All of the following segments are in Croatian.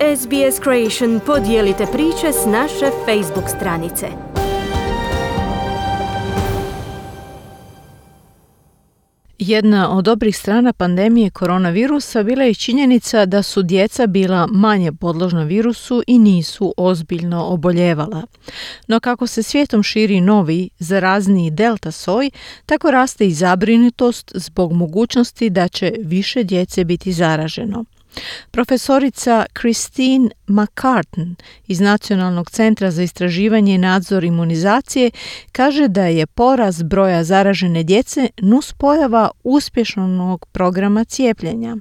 SBS Creation, podijelite priče s naše Facebook stranice. Jedna od dobrih strana pandemije koronavirusa bila je činjenica da su djeca bila manje podložna virusu i nisu ozbiljno oboljevala. No kako se svijetom širi novi, zarazniji delta soj, tako raste i zabrinutost zbog mogućnosti da će više djece biti zaraženo. Profesorica Christine McCartan iz Nacionalnog centra za istraživanje i nadzor imunizacije kaže da je porast broja zaražene djece nuspojava uspješnog programa cijepljenja.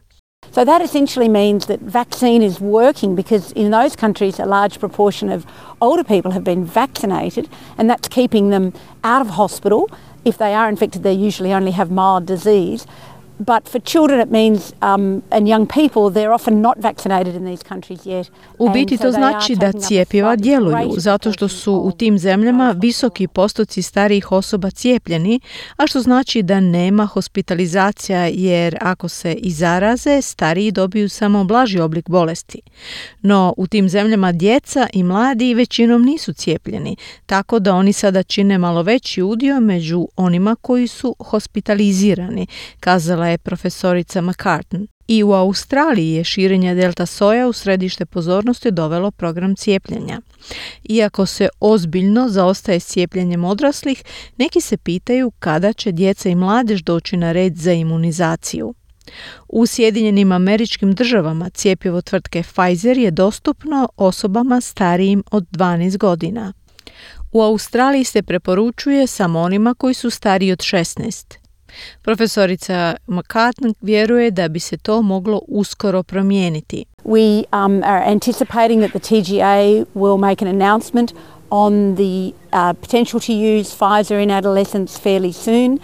So that essentially means that vaccine is working because in those countries a large proportion of older people have been vaccinated and that's keeping them out of hospital. If they are infected, they usually only have mild disease. But for children it means and young people, they're often not vaccinated in these countries yet. U biti to znači da cjepiva djeluju zato što su u tim zemljama visoki postoci starijih osoba cijepljeni, a što znači da nema hospitalizacija jer ako se i zaraze, stariji dobiju samo blaži oblik bolesti. No u tim zemljama djeca i mladi većinom nisu cijepljeni, tako da oni sada čine malo veći udio među onima koji su hospitalizirani, kazala je profesorica McCartan. I u Australiji je širenje delta soja u središte pozornosti dovelo program cijepljenja. Iako se ozbiljno zaostaje s cijepljenjem odraslih, neki se pitaju kada će djeca i mladež doći na red za imunizaciju. U Sjedinjenim Američkim Državama cjepivo tvrtke Pfizer je dostupno osobama starijim od 12 godina. U Australiji se preporučuje samo onima koji su stariji od 16. Profesorica McCartan vjeruje da bi se to moglo uskoro promijeniti. We are anticipating that the TGA will make an announcement on the potential to use Pfizer in adolescents fairly soon.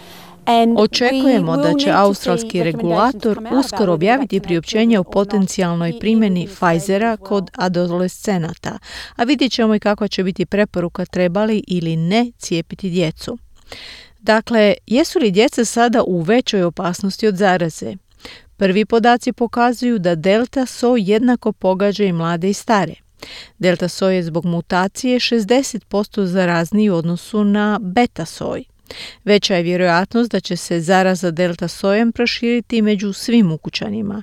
Očekujemo da će australski regulator uskoro objaviti priopćenje o potencijalnoj primjeni Pfizera kod adolescenata, a vidjet ćemo i kakva će biti preporuka trebali ili ne cijepiti djecu. Dakle, jesu li djeca sada u većoj opasnosti od zaraze? Prvi podaci pokazuju da delta soj jednako pogađa i mlade i stare. Delta soj je zbog mutacije 60% zarazniji u odnosu na beta soj. Veća je vjerojatnost da će se zaraza delta sojem proširiti među svim ukućanima.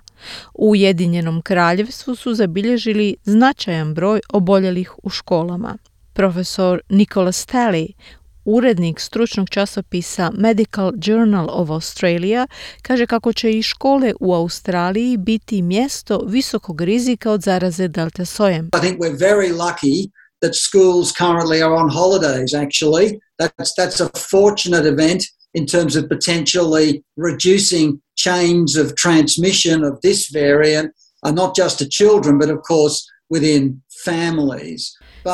U Ujedinjenom Kraljevstvu su zabilježili značajan broj oboljelih u školama. Profesor Nicholas Talley, urednik stručnog časopisa Medical Journal of Australia, kaže kako će i škole u Australiji biti mjesto visokog rizika od zaraze delta sojem. I think we're very lucky that schools currently are on holidays actually. That's a fortunate event in terms of potentially reducing chains of transmission of this variant, not just to children but of course within families.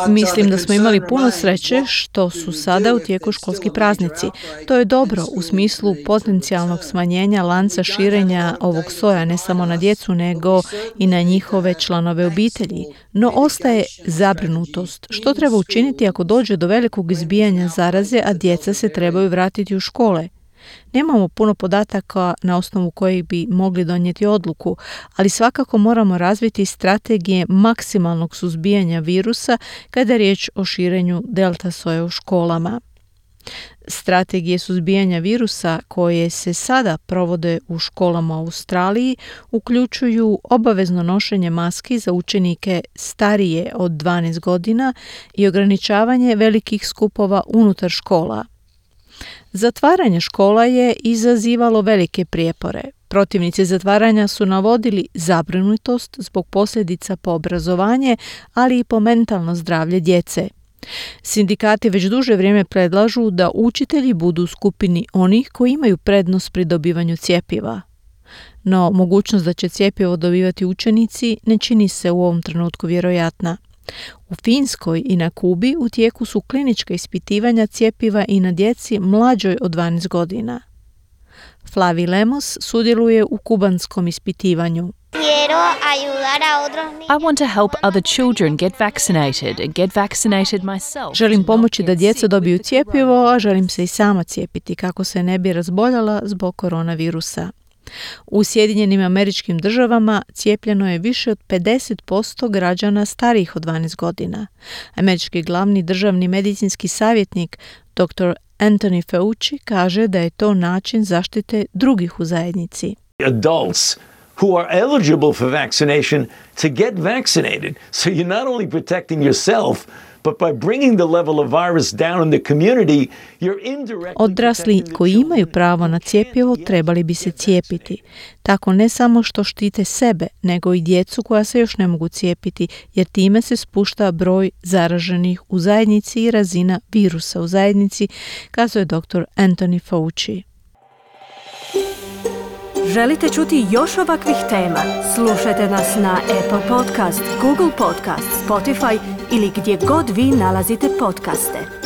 Mislim da smo imali puno sreće što su sada u tijeku školski praznici. To je dobro u smislu potencijalnog smanjenja lanca širenja ovog soja ne samo na djecu nego i na njihove članove obitelji. No ostaje zabrinutost. Što treba učiniti ako dođe do velikog izbijanja zaraze, a djeca se trebaju vratiti u škole? Nemamo puno podataka na osnovu kojih bi mogli donijeti odluku, ali svakako moramo razviti strategije maksimalnog suzbijanja virusa kada je riječ o širenju delta soja u školama. Strategije suzbijanja virusa koje se sada provode u školama u Australiji uključuju obavezno nošenje maski za učenike starije od 12 godina i ograničavanje velikih skupova unutar škola. Zatvaranje škola je izazivalo velike prijepore. Protivnici zatvaranja su navodili zabrinutost zbog posljedica po obrazovanje, ali i po mentalno zdravlje djece. Sindikati već duže vrijeme predlažu da učitelji budu u skupini onih koji imaju prednost pri dobivanju cjepiva. No, mogućnost da će cjepivo dobivati učenici ne čini se u ovom trenutku vjerojatna. U Finskoj i na Kubi u tijeku su klinička ispitivanja cjepiva i na djeci mlađoj od 12 godina. Flavi Lemos sudjeluje u kubanskom ispitivanju. I want to help other children get vaccinated and get vaccinated myself. Želim pomoći da djeca dobiju cjepivo, a želim se i sama cijepiti kako se ne bi razboljela zbog koronavirusa. U Sjedinjenim Američkim Državama cijepljeno je više od 50% građana starijih od 12 godina. Američki glavni državni medicinski savjetnik dr. Anthony Fauci kaže da je to način zaštite drugih u zajednici. Adults who are eligible for vaccination to get vaccinated. So you're not only protecting yourself, but by bringing the level of virus down in the community, you're indirectly Odrasli koji imaju pravo na cjepivo trebali bi se cijepiti. Tako ne samo što štite sebe, nego i djecu koja se još ne mogu cijepiti, jer time se spušta broj zaraženih u zajednici i razina virusa u zajednici, kazuje dr. Anthony Fauci. Želite čuti još ovakvih tema? Slušajte nas na Apple Podcast, Google Podcast, Spotify ili gdje god vi nalazite podcaste.